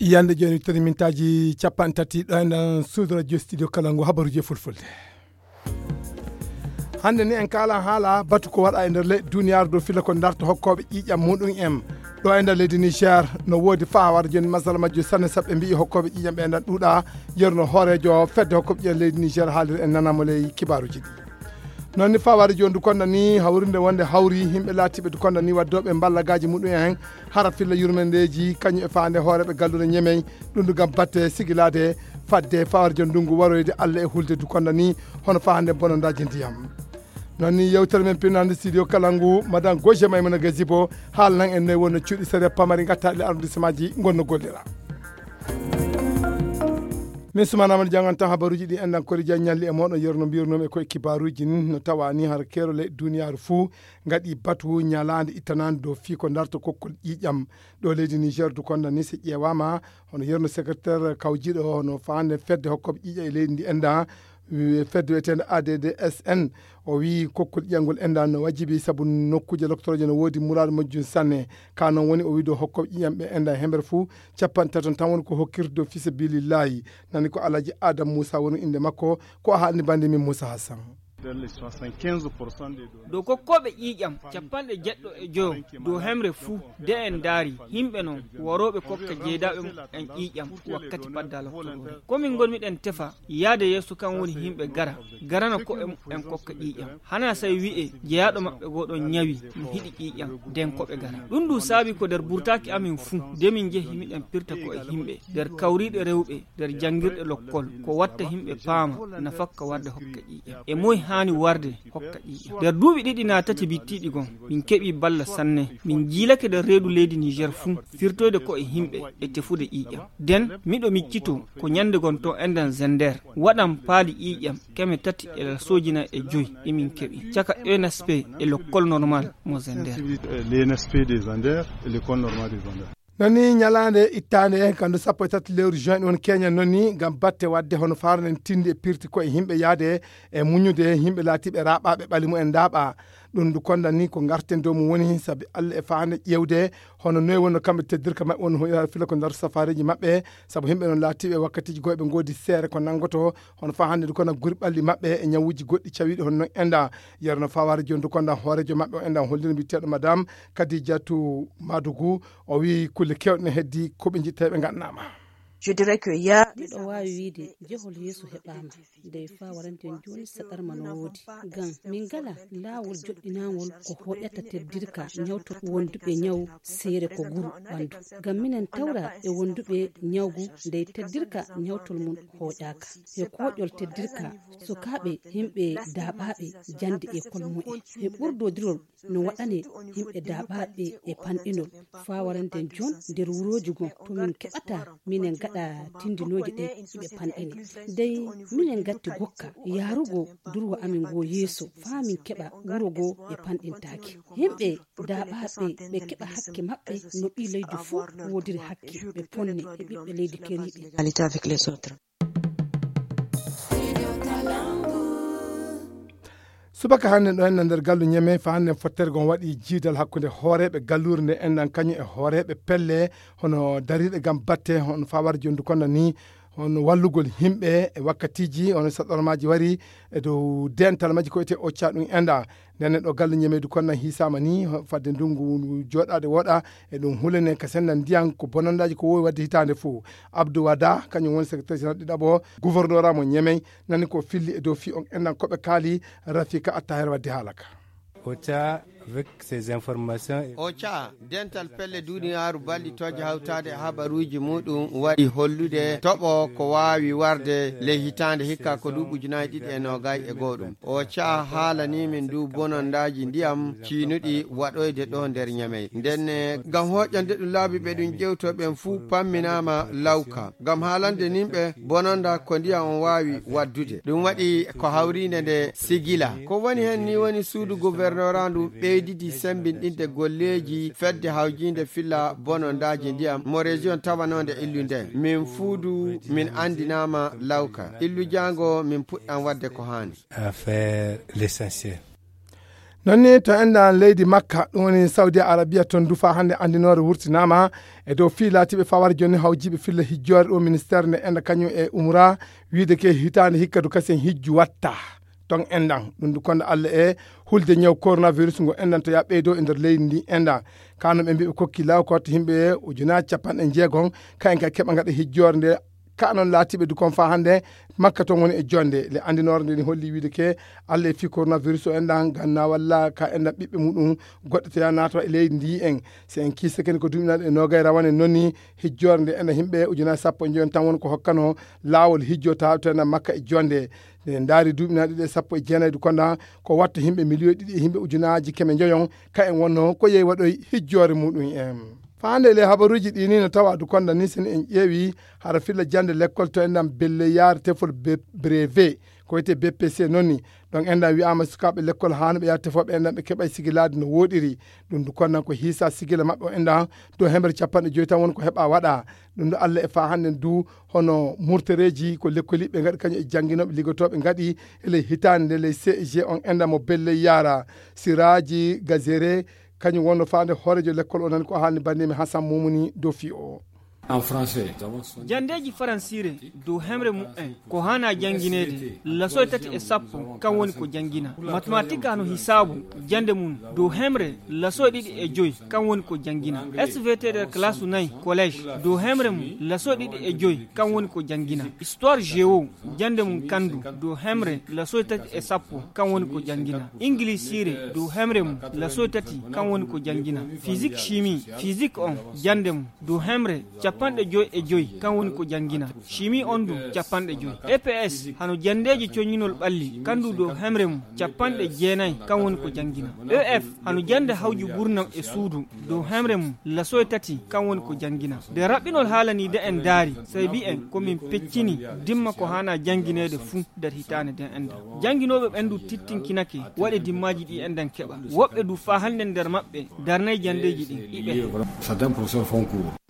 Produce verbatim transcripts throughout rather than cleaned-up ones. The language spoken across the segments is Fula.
Yande jooni tati mintaaji capanɗe tati ɗo e nder suudu radio studio kala ngu habaruuji e fulfulde. Hannde ni en kaala haala batu ko waɗa e nder leyɗe duniyaaru dow filla ko darta hokkooɓe ƴiiƴam muɗum en. Ɗo e nder leydi Niger no woodi faaware jooni masala majjo sanne sabu ɓe mbi'i hokkooɓe ƴiiƴam ɓe ena ɗuuɗa. Yerno hooreejo fedde hokkooɓe ƴiiƴam leydi Niger haaliri en nanamo ley kibaaruuji ɗi. Noon ni faaware jooni dukonda ni hawrinde wonde hawri yimɓe laatiiɓe dukonda ni waddooɓe mballagaaji muɗum en hara filla yurmandeeji kañum e faande hooreeɓe galluure ñemey. Ɗum ɗum gam batte sigilaade fadde fawarjo ndungu waroyde Allah e hulde dukonda ni hono faande bonondaaji ndiyam. Noon ni yewtere men pinnande studio kala ngu madame Goje Maymuna Gazibo haalnan en noy wonno cuuɗi sariya pamari ngattaɗi le arrondissemaaji ngonno gollira. Min sumanama no jangan tan habaruuji ɗi enɗan kori jan ñalli e moɗon yerno mbirnoomi e koye kibaaruuji ni no tawa ni har keerole duniyaaru fuu ngaɗi batu ñalaande ittanande dow fii ko darta kokkol ƴiiƴam. Ɗo leydi Niger dukonda ni si ƴeewaama hono yerno secrétaire kawjiiɗo hono faande fedde hokkooɓe ƴiiƴam e leydi ndi enda fedde wiyeteende A D D S N. O wii kokkol ƴiiƴam ngol enda no wajibi sabu nokkuuje loktoroje no woodi muraadu majjum sanne. Ka noon woni o wii dow hokkooɓe ƴiiƴam ɓe enda hemere fuu capanɗe tati tan woni ko hokkirde dow fii sabilillahi. Nani ko Alhaji Adam Muusa woni innde makko. Ko a haalni bannde min Muusa Hassan. Dow kokkooɓe ƴiiƴam capanɗe jeɗɗo e joyo dow hemre fuu de en ndaari yimɓe noon worooɓe kokka jeydaaɓe mum en ƴiiƴam wakkati padda loktoroore. Ko min ngonmiɗen tefa yaade yeeso kan woni yimɓe gara garana ko'e mum en kokka ƴiiƴam. Hana say wi'e jeyaaɗo maɓɓe goo ɗon ñawi no hiɗi ƴiiƴam den ko ɓe gara. Ɗum ɗum saabi ko nder burtaaki amin fuu de min njehi miɗen pirta ko'e yimɓe nder kawriiɗe rewɓe nder janngirɗe lokkol ko watta yimɓe paama nafakka warde hokka ƴiiƴam. E moy haani warde hokka ƴiiƴam? Nder duuɓi ɗiɗi naa tati bittiiɗi gon min keɓii balla sanne. Min jiilake nder reedu leydi Niger fuu firtoyde ko'e yimɓe e tefude ƴiiƴam. Den miɗo miccitoo ko ñande gon to enɗan Zender waɗan paali ƴiiƴam keme tati e lasooji nay e joy ɗi min keɓi caka E N S P e lokkol normal mo Zender. L'E N S P de Zender e l'école normale de Zender. Noon ni ñalaande ittaande kandu sappo e tati lewru juin ɗi woni keñen noon ni ngam batte waɗde hono faarnen tindi e pirti koye yimɓe yaade e muñude yimɓe laatiiɓe raaɓaaɓe ɓali mumen ndaaɓa. Ɗum ndu kondan ni ko ngarten dow mum woni sabi Allah e faande ƴeewde hono noy wonno kamɓe teddirka maɓɓe woni hoyra fila ko nder safareeji maɓɓe. Sabu yimɓe noon laatiiɓe wakkatiiji goo ɓe ngoodi seere ko nanngoto hono faa hannde ndu kona guri ɓalli maɓɓe e ñawuuji goɗɗi cawiiɗi hono noon enda. Yerno fawaare jooni ndu kondan hooreejo maɓɓe o endan holliri mbiyeteeɗo madame Kadijatu Madugu. O wii kulle keewɗe ne heddi ko ɓe njiɗta ɓe ngaɗanaama. Miɗo waawi wiide jehol yeeso heɓaama. Nde fawaranten jooni saɗarma no woodi. Ngam min ngala laawol joɗɗinaangol ko hoƴata teddirka ñawto wonduɓe ñaw seere ko guru ɓandu. Ngam minen tawra e wonduɓe ñawgu nde teddirka ñawtol mum hoƴaaka. E koƴol teddirka sukaaɓe yimɓe daaɓaaɓe jande e kol mumen. E ɓurdodirol no waɗane yimɓe daaɓaaɓe e panɗinol. Faa warande jon nder wurooji gon to min keɓata minen gaɗa tindinooji ɗe hiɓe panɗine. Dey minen gatti gokka yaarugo durwa amin ngo yeeso faa min keɓa wuro ngo e panɗintaaki. Yimɓe daaɓaaɓe ɓe keɓa hakke maɓɓe no ɓii leydi fof woodiri hakke ɓe ponne e ɓiɓɓe leydi keriiɓe. Subaka hannde ɗo henna nder gallu ñeme fa hannde fottere gon waɗi jiidal hakkunde hooreeɓe galluure nde enɗan kañum e hooreeɓe pelle hono dariiɗe gam batte hono fawar jondu kono ni hono wallugol yimɓe e wakkatiiji hono saɗormaaji wari e dow dental majji ko wiyetee occa ɗum enɗa. Ndenne ɗo gallu ñemeedu kono nan hiisaama ni fadde ndungu jooɗaade wooɗa e ɗum hulene ka senndan ndiyan ko bonondaaji ko wowi waɗde hitaande fof. Abdou Wada kañum woni secrétaire général ɗiɗaɓo gouverneur mo ñemey nani ko filli e dow fii on enɗan koɓe kaali. Rafika Attaher wadde haala ka. Ocha avec ces informations. Ocha dental pelle duniyaaru ballitooje hawtaade e habaruuji muɗum waɗi hollude toɓo ko waawi warde ley hitaande hikka ko duuɓi ujunaaji ɗiɗi e noogay e goo ɗum. Ocha haalani min du bonondaaji ndiyam ciinuɗi waɗoyde ɗo nder ñamey ndenne ngam hoƴande ɗum laabi ɓe ɗum ƴewto ɓen fuu pamminaama lawka ngam haalande nimɓe bononda ko ndiyam on waawi waddude. Ɗum waɗi ko hawriinde nde sigila ko woni heen ni woni suudu gouvernora ndu ɓeydidi sembinɗinde golleeji fedde hawjiinde filla bonondaaji ndiyam mo région tawanoonde illu nden min fuudu min anndinaama lawka illu jaango min puɗɗan waɗde ko haani. Affaire l'essentiel. Non ni to enɗan leydi Makka, ɗum woni Saudi Arabia, ton du faa hannde anndinoore wurtinaama e dow fii laatiiɓe faa wara jooni hawjiiɓe filla hijjoore ɗo ministeer nde enɗan kañum e umra, wiide ke hitaande hikka du kasen hijju watta ton enɗan. Ɗum du konda Alla e hulde ñaw coronavirus ngo enɗan to yaa ɓeydo e nder leydi ndi enɗan. Kano ɓe mbiɓe kokki law ko watta himɓe ujunaaji capanɗe jeegom, ka en ka keɓa ngaɗa hijjoore nde. Ka non laatiiɓe du kon faa hannde Makka ton woni e jonde. Le anndinoore nde ni holli wiide ke Alla e fii coronavirus o enɗan ganna walla ka enɗan ɓiɓɓe muɗum goɗɗe to yaa naata e leydi ndi en. Si en kiisa kene ko duuɓi naɗe e noogay rawane non ni hijjoore nde enɗan himɓe ujunaaji sappo e joyon tan woni ko hokkano laawol hijjota to enɗan Makka e jonde. Nde ndaari duuɓi naɗe ɗe sappo e jeenayi du konda ko watta himɓe miliyon ɗiɗi e himɓe ujunaaji keme joyon ka en wonno ko yehi waɗoy hijjoore muɗum en. Faande le habaruuji ɗi ni no tawa du konda ni sen en ƴeewi hara filla jande lekkol to enɗan belle yaare tefol be-, brevet ko wiyetee B P C non ni. Ɗon enɗan wi'aama sukaaɓe lekkol haano ɓe yaha tefooɓe enɗan ɓe keɓa sigilaade no wooɗiri. Ɗum du kondan ko hiisa sigila maɓɓe o enɗan dow hemre capanɗe joyi tan woni ko heɓa waɗa. Ɗum du Alla e faa hannde du hono murtereeji ko lekkoliiɓe ngaɗi kañum e jannginooɓe liggotooɓe ngaɗi e ley hitaande nde ley C E G on enɗan mo belle yaara. Siraaji Gazere kañum wonno faande hooreejo lekkol o nani ko haalni banndimi Hasan Mumuni Dofi o. En français. Jandeeji faransiire dow hemre mumen ko hana janngineede lasoy tati e sappo kan woni ko janngina. Matematik hano hisaabu jande mum dow hemre lasoy ɗiɗi e joy kan woni ko janngina. S V T nder kalaasu nayi collège dow hemre mum lasoy ɗiɗi e joy kan woni ko janngina. Histoire géo jande mum kandu dow hemre lasoy tati e sappo kan woni ko janngina. Ingilisiire dow hemre mum lasoy tati kan woni ko janngina. Physique chimie physique on jande mum dow hemre capanɗe joy e joy kan woni ko janngina. Chimie on du capanɗe joy. E P S hano jandeeji coñinol ɓalli kandu dow hemre mum capanɗe jeenayi kan woni ko janngina. E F hano jande hawju burnam e suudu dow hemre mum lasoy tati kan woni ko janngina. Nde raɓɓinol haalaniide en daari sey mbi'en ko min peccini dimma ko hana janngineede fuu nder hitaande nden enɗan. Jannginooɓe ɓen du tittinkinake waɗe dimmaaji ɗi enɗan keɓa. Woɓɓe du faa hannde nder maɓɓe darnay janndeeji ɗin iɓe.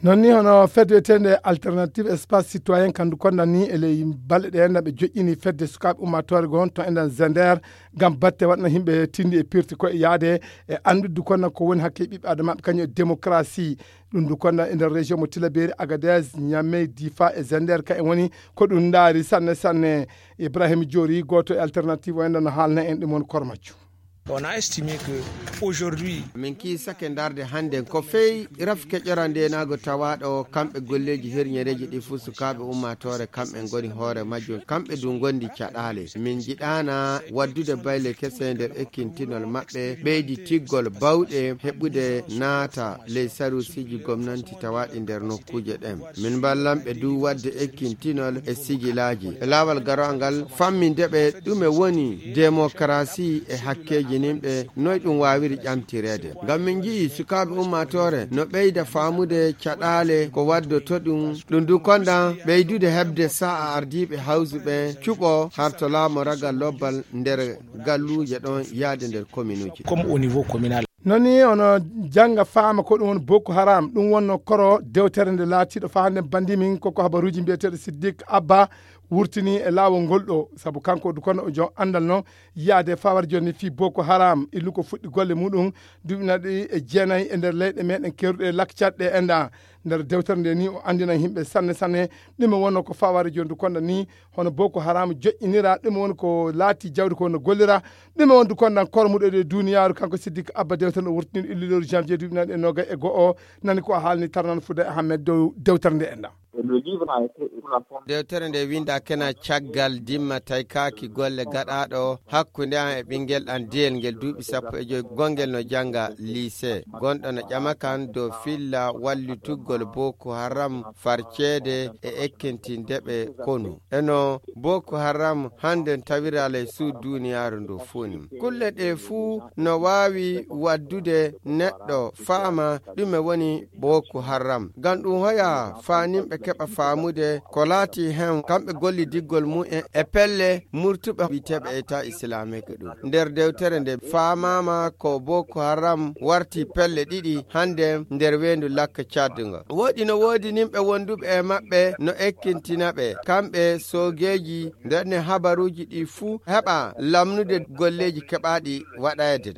Non ni hono fedde wiyeteende Alternative Espace Citoyen kandu kondan ni e ley balɗe ɗe enɗan ɓe joƴƴini fedde sukaaɓe ummaatoore gon to enɗan Zender ngam batte waɗna himɓe tindi e pirti ko e yaade e anndude kondan ko woni hakke ɓiɓɓe adamaaɓe kañum e démocratie. Ɗum du kondan e nder région mo Tilaberi, Agadez, Niamey, Difa e Zender ka en woni ko ɗum ndaari sanne sanne. Ibrahim Jori gooto e Alternative o enɗan no haalna en ɗum woni kormaccu. On a estimé que aujourd'hui min kiisake ndarde hannden ko fey raf keƴora ndenaago tawaaɗo kamɓe golleeji herñereeji ɗi fuu sukaaɓe ummaatoore kamɓe ngoni hoore majjum kamɓe du ngondi caɗaale min njiɗaana waddude bayle kese nder ekkintinol maɓɓe ɓeydi tiggol bawɗe heɓude naata ley sarusiiji gomnanti tawaaɗi nder nokkuuje ɗen min mballanɓe du wadde ekkintinol e sigilaaji e laawal garoangal famminde ɓe ɗume woni demokarasi e hakkeeji nimɓe noy ɗum waawiri ƴamtireede ngam min nji'i sukaaɓe ummaatoore no ɓeyda faamude caɗaale ko waddoto ɗum ɗum du kondan ɓeydude heɓde sa'a ardiiɓe hawsu ɓe cuɓo harto laamoragal lobbal nder galluuje ɗon yaade nder kominuuji comme au niveau communal. Non ni ono jannga faama ko ɗum woni Boko Haram ɗum wonno koro dewtere nde laatiiɗo faa hannde banndi min koko habaruuji mbiyeteeɗo Siddik Abba wurtini e laawol ngol ɗo sabu kanko du kono o jom anndal non yaade fawar jonni fii Boko Haram illu ko fuɗɗi golle muɗum duuɓi naɗi e jeenayi e nder leyɗe meɗen keruɗe lakcaɗɗe e nda nder dewtere nde ni o anndina yimɓe sanne sanne ɗume wonno ko faware jonni du konda ni hono Boko Haram joƴƴinira ɗume woni ko laati jawdi ko no gollira ɗume woni du kondan kormuɗo e duniyaaru kanko Siddik Abba dewtere o wurtini illu lewru janvier duuɓi naɗi e nogay e go'o nani ko haalni tarnan fuda e Ahmed dow dewtere nde e nda. Dewtere nde winda kena caggal dimma taykaaki golle gaɗaaɗo hakkunde an e ɓinngel ɗan diyel ngel duuɓi sappo e joy gonngel no jannga lycée gonɗo no ƴama kan dow filla wallitugol Boko Haram farceede e ekkintinde ɓe konu. Eno Boko Haram hannden tawira ley suudu duuniyaaru ndu fuu ni. Kulle ɗee fuu no waawi waddude neɗɗo faama ɗume woni Boko Haram. Ngam ɗum hoya faa nimɓe keɓa faamude ko laati heen kamɓe gollidiggol mumen e pelle murtuɓe wiyeteeɓe Etat Islamique ɗum. Nder dewtere nde faamaama ko Boko Haram warti pelle ɗiɗi hannde nder weendu Lakka Tchad ngo. Woɗi no woodi nimɓe wonduɓe e maɓɓe no ekkintina ɓe, kamɓe soogeeji, nder ne habaruuji ɗi fuu heɓa lamnude golleeji keɓaaɗi waɗeede.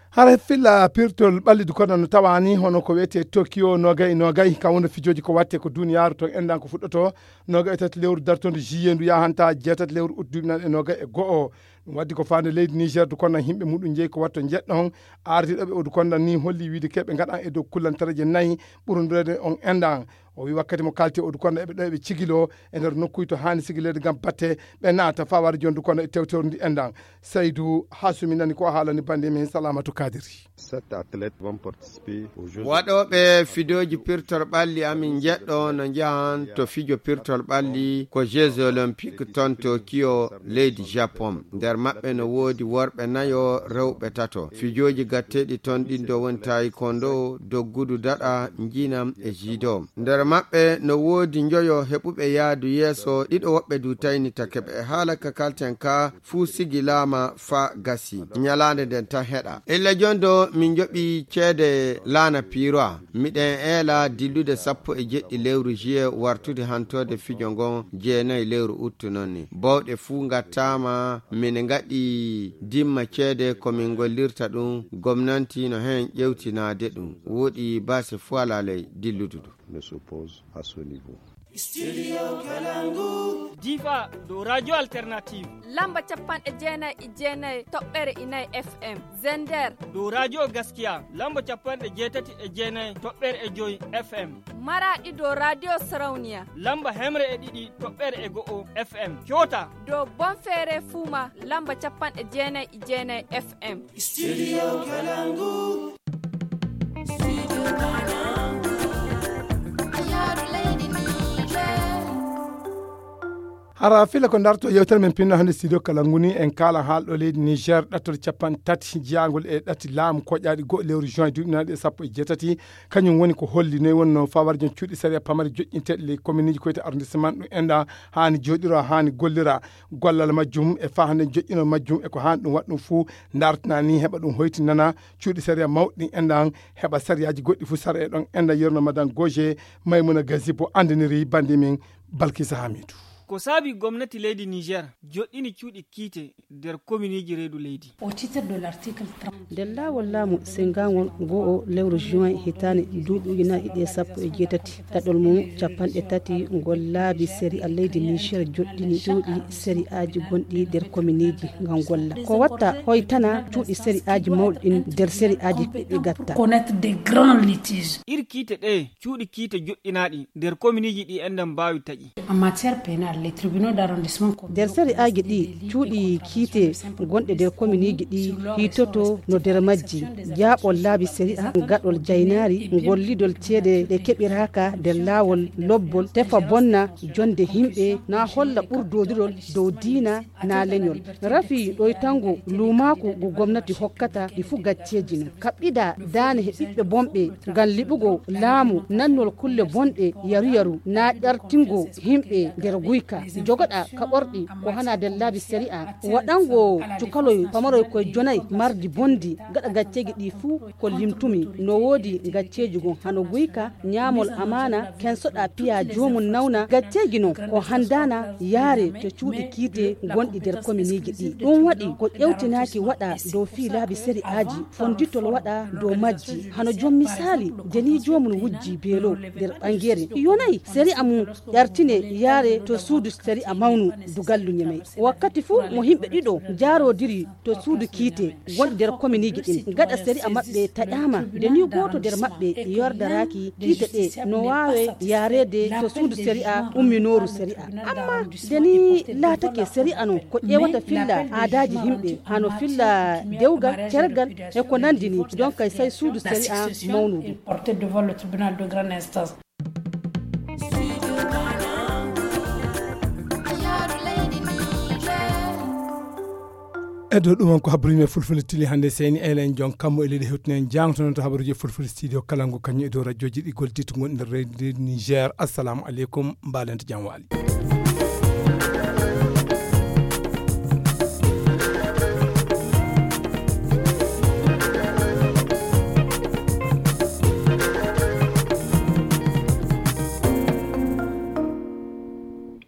Hara filla pirtol ɓalli du kono no tawani hono ko wiyetee Tokyo nogay nogay, ka wonno fijooji ko watte ko duniyaaru ton endan ko fuɗɗoto nogay e tati lewru dartondo juillet ndu yahanta jeetati lewru août duuɓi naaɗi e nogay e go'o. Ɗum waddi ko faande leydi Niger du kono himɓe muɗum jeyi ko watto jeɗɗon ardiɗo ɓe o du kono ni holli wiide keɓe ngaɗan e dow kullantareeje nayi ɓurundirede on endan. O wi wakkati mo kalti o du kono eɓe ɗo eɓe cigilo e nder nokkuy to hani sigileede ngam batte ɓe naata fawar jondu kono e tewtewru ndi endan. Saydu Hasumi nani ko haalani bande men Salamatu Kadiri. Sept athlètes vont participer aux Jeux Waɗooɓe fidooji pirtol ɓalli amin jeɗɗo no njahan to fijo pirtol ɓalli ko Jeux Olympiques ton Tokyo leydi Japon. Nder maɓɓe no woodi worɓe nayo, rewɓe tato. Fijooji gatteeɗi ton ɗin do woni taekwondo, doggudu daɗa, njinam e judo. Nder maɓɓe no woodi njoyo heɓuɓe yaadu yeeso, ɗiɗo woɓɓe du taynitake ɓe. E haala ka kalten ka, fuu sigilaama faa gasi. Nyalaande nden tan heɗa. Illa jon do min njoɓi ceede laana piiroa. Miɗen eela dillude sappo e jeɗɗi lewru juillet wartude hantoode fijo ngon jeenayi lewru août non ni. Bawɗe fuu ngattaama, min ngaɗi dimma ceede ko min ngollirta ɗum. Gomnanti no heen ƴewtinaade ɗum. Woɗi baasi fuu alaa ley dilludu du. Ne s'oppose à ce niveau. Studio Kalangu. Difa dow Radio Alternative. Lamba capanɗe jeenayi e jeenayi toɓɓere inayi F M. Zender. Dow Radio Gaskiya. Lamba capanɗe jeetati e jeenayi toɓɓere e joyi F M. Maraɗi dow Radio Sarauniya. Lamba hemre e ɗiɗi toɓɓere e go'o F M. Kyota. Dow Bonfere Fuma. Lamba capanɗe jeenayi e jeenayi F M. Studio Kalangu. Hara fila ko darto yewtere men pinno hannde studio kala nguni en kala haalɗo leydi Niger ɗattol capanɗe tati jiyangol e ɗati laamu koƴaɗi goɗɗo lewru juin duuɓi naaɗi e sappo e jeetati. Kañum woni ko holli noy wonno fawarjon cuuɗi sariya pamari joƴƴinteɗi ley komminiji koyte arrondissement ɗum enɗa hani joɗiro hani gollira gollal majjum e fahande joƴƴino majjum e ko hani ɗum waɗa ɗum fuu dartana ni heɓa ɗum hoytinana cuuɗi sariya mawɗi ɗin enɗan heɓa sariyaji goɗɗi fuu sara e ɗon enɗa yerno madan goje maymuna gazibo andiniri bandi min balkisa hamidu. Ko saabi gomnati leydi Niger joɗɗini cuuɗi kiite nder kominiji reedu leydi. Au titre de l'article trente. Nder laawol laamu sengangol go'o lewru juin hitaande duuɓi ujunaaji ɗiɗi e sappo e jeetati, ɗaɗol mum capanɗe tati ngol laabi sariya leydi Niger joɗɗini cuuɗi sariyaaji gonɗi nder kominiji ngam golla. Ko watta hoytana cuuɗi sariyaaji mawɗi ɗin nder sariyaaji ɗi gatta. Connaître des grands litiges. Ir kiite ɗe cuuɗi kiite joɗɗinaaɗi nder kominiji ɗi enɗan mbaawi taƴi. En matière pénale, les tribunaux d'arrondissement. Nder sari'aaji ɗi, cuuɗi kiite gonɗe nder kominiji ɗi hiitoto no nder majji jaaɓol laabi sari'a, gaɗol jaynaari, gollidol ceede ɗe keɓiraaka nder laawol lobbol, tefa bonna jonde himɓe, na holla ɓurdodiral dow diina, na leñol. Rafi ɗoytango luumaaku ngu gomnati hokkata ɗi fuu gacceeji no. Kaɓɓida daane he ɓiɓɓe bonɓe ngam liɓugo laamu nannol kulle bonɗe yaru-yaru na ƴartingo himɓe nder guyka. Jogoɗa kaɓorɗi ko hana nder laabi sari'a. Waɗango cukaloy pamaroy koye jonayi mardi bondi gaɗa gacceeji ɗi fuu ko limtumi. No woodi gacceeji gon hano guyka, ñaamol amaana, kensoɗa piya joomum nawna. Gacceeji non ko handana yaare to cuuɗi kiite gonɗi nder kominiji ɗi. Ɗum waɗi ko ƴewtinaaki waɗa dow fii laabi sari'aaji, fonditol waɗa dow majji. Hano jom misaali, deni joomum wujji beelo nder ɓangere. Yonayi sari'a mum ƴartine yaare to suudu sari'a mawnu dugallu Ñemey. Wakkati fuu mo himɓe ɗiɗo jaarodiri to suudu kiite gonɗi nder kominiji ɗin, gaɗa sari'a maɓɓe taƴaama, nde ni gooto nder maɓɓe yordaraaki kiite ɗe no waawe yaareede to suudu sari'a umminooru sari'a. Amma nde ni laatake sari'a non ko ƴeewata filla aadaaji himɓe, hano filla dewgal, cergal e ko nanndi ni, donc kay sey suudu sari'a mawnudu. Ɗo ɗum on ko habruji men fulfulde tili hannde. Seyni elen jon kammu e leydi hewtinen jangtonon to habruji fulfulde studio kalangu kañum e dow radioji ɗi gollititta gonɗi nder leydi niger. Assalamu aleykum, mbalente jam waali.